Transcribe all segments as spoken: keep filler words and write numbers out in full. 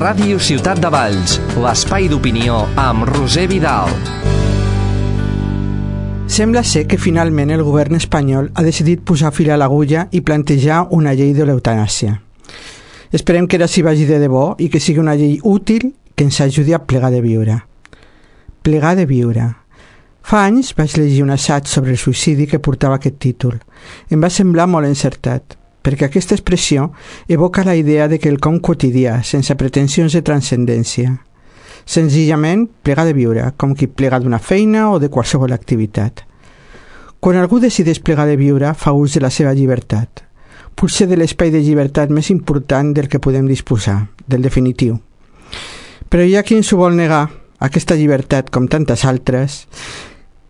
Ràdio Ciutat de Valls, l'espai d'opinió amb Roser Vidal. Sembla ser que finalment el govern espanyol ha decidit posar fil a l'agulla i plantejar una llei de l'eutanàsia. Esperem que ara s'hi vagi de debò i que sigui una llei útil que ens ajudi a plegar de viure. Plegar de viure. Fa anys vaig llegir un assaig sobre el suïcidi que portava aquest títol. Em va semblar molt encertat, perquè aquesta expressió evoca la idea de que el com quotidià, sense pretensions de transcendència. Senzillament, plegar de viure, com qui plega d'una feina o de qualsevol activitat. Quan algú decideix plegar de viure, fa ús de la seva llibertat. Potser de l'espai de llibertat més important del que podem disposar, del definitiu. Però hi ha qui ens ho vol negar, aquesta llibertat, com tantes altres,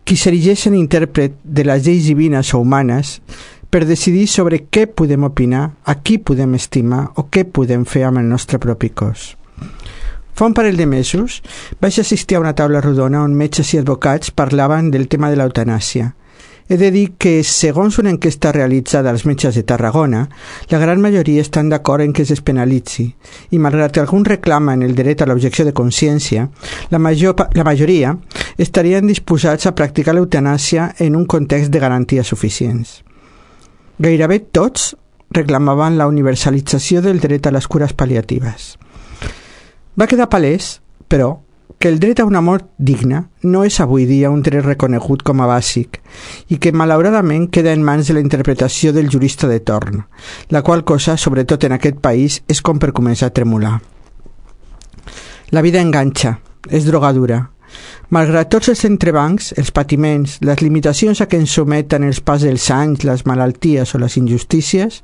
qui s'erigeix en intèrpret de les lleis divines o humanes per decidir sobre què podem opinar, a qui podem estimar o què podem fer amb el nostre propi cos. Fa un parell de mesos vaig assistir a una taula rodona on metges i advocats parlaven del tema de l'eutanàsia. He de dir que, segons una enquesta realitzada als metges de Tarragona, la gran majoria estan d'acord en que es despenalitzi, i malgrat que alguns reclamen el dret a l'objecció de consciència, la, major, la majoria estarien disposats a practicar l'eutanàsia en un context de garanties suficients. Gairebé tots reclamaven la universalització del dret a les cures pal·liatives. Va quedar palès, però, que el dret a una mort digna no és avui dia un dret reconegut com a bàsic i que malauradament queda en mans de la interpretació del jurista de torn, la qual cosa, sobretot en aquest país, és com per començar a tremolar. La vida enganxa, és drogadura. Malgrat tots els entrebancs, els patiments, les limitacions a què ens someten els pas dels anys, les malalties o les injustícies,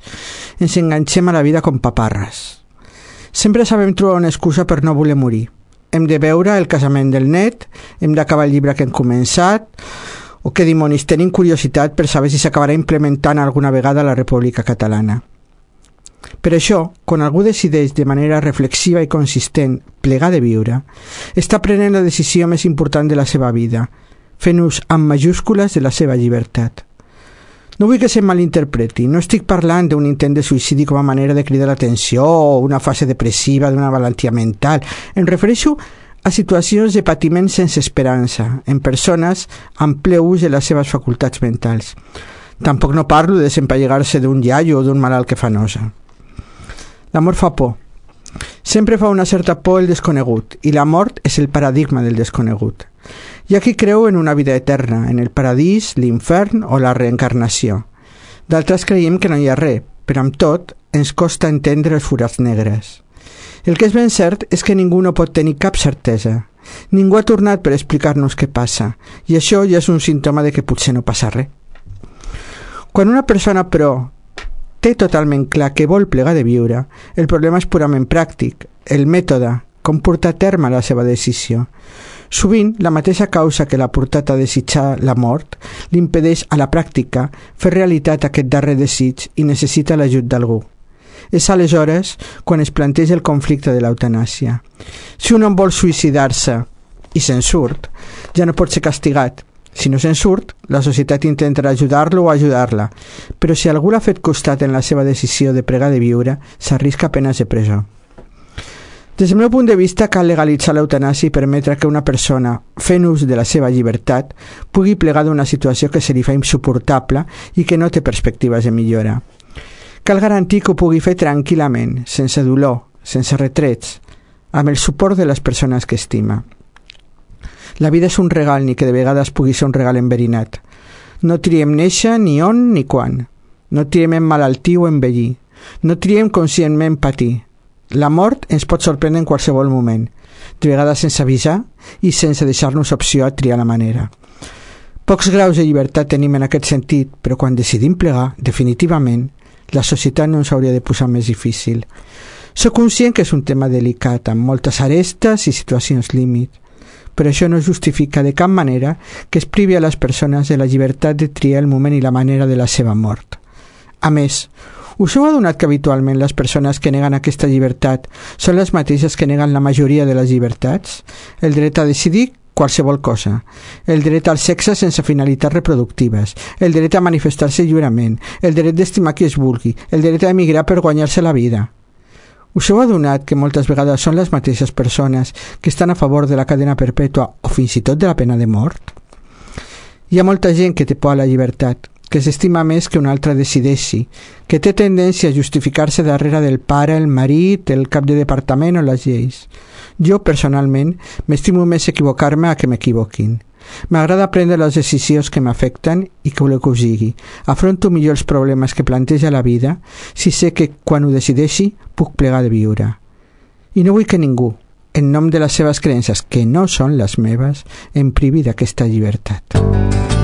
ens enganxem a la vida com paparres. Sempre sabem trobar una excusa per no voler morir. Hem de veure el casament del net, hem d'acabar el llibre que hem començat, o que dimonis, tenim curiositat per saber si s'acabarà implementant alguna vegada a la República Catalana. Per això, quan algú decideix de manera reflexiva i consistent plegar de viure, està prenent la decisió més important de la seva vida, fent ús amb majúscules de la seva llibertat. No vull que se malinterpreti, no estic parlant d'un intent de suïcidi com a manera de cridar l'atenció o una fase depressiva d'una malaltia mental. Em refereixo a situacions de patiment sense esperança, en persones amb ple ús de les seves facultats mentals. Tampoc no parlo de desempallegar-se d'un iaio o d'un malalt que fa nosa. L'amor fa por. Sempre fa una certa por el desconegut, i la mort és el paradigma del desconegut. Hi ha qui creu en una vida eterna, en el paradís, l'infern o la reencarnació. D'altres creiem que no hi ha res, però amb tot ens costa entendre els forats negres. El que és ben cert és que ningú no pot tenir cap certesa. Ningú ha tornat per explicar-nos què passa, i això ja és un símptoma de que potser no passa res. Quan una persona, però, té totalment clar que vol plegar de viure, el problema és purament pràctic, el mètode, com portar a terme la seva decisió. Sovint, la mateixa causa que l'ha portat a desitjar la mort l'impedeix a la pràctica fer realitat aquest darrer desig i necessita l'ajut d'algú. És aleshores quan es planteja el conflicte de l'eutanàsia. Si un home vol suïcidar-se i se'n surt, ja no pot ser castigat. Si no se'n surt, la societat intentarà ajudar-lo o ajudar-la, però si algú l'ha fet costat en la seva decisió de pregar de viure, s'arrisca penes de presó. Des del meu punt de vista, cal legalitzar l'eutanàsia i permetre que una persona, fent ús de la seva llibertat, pugui plegar d'una situació que se li fa insuportable i que no té perspectives de millora. Cal garantir que ho pugui fer tranquil·lament, sense dolor, sense retrets, amb el suport de les persones que estima. La vida és un regal, ni que de vegades pugui ser un regal enverinat. No triem néixer, ni on, ni quan. No triem emmalaltir o envellir. No triem conscientment patir. La mort ens pot sorprendre en qualsevol moment, de vegades sense avisar i sense deixar-nos opció a triar la manera. Pocs graus de llibertat tenim en aquest sentit, però quan decidim plegar, definitivament, la societat no ens hauria de posar més difícil. Soc conscient que és un tema delicat, amb moltes arestes i situacions límit, però això no justifica de cap manera que es privi a les persones de la llibertat de triar el moment i la manera de la seva mort. A més, us heu adonat que habitualment les persones que neguen aquesta llibertat són les mateixes que neguen la majoria de les llibertats? El dret a decidir qualsevol cosa, el dret al sexe sense finalitats reproductives, el dret a manifestar-se lliurement, el dret d'estimar qui es vulgui, el dret a emigrar per guanyar-se la vida. Us heu adonat que moltes vegades són les mateixes persones que estan a favor de la cadena perpètua o fins i tot de la pena de mort? Hi ha molta gent que té por a la llibertat, que s'estima més que un altre decideixi, que té tendència a justificar-se darrere del pare, el marit, el cap de departament o les lleis. Jo, personalment, m'estimo més equivocar-me a que m'equivoquin. M'agrada prendre les decisions que m'afecten i que voleu que us digui. Afronto millor els problemes que planteja la vida si sé que quan ho decideixi puc plegar de viure. I no vull que ningú, en nom de les seves creences, que no són les meves, em privi d'aquesta llibertat.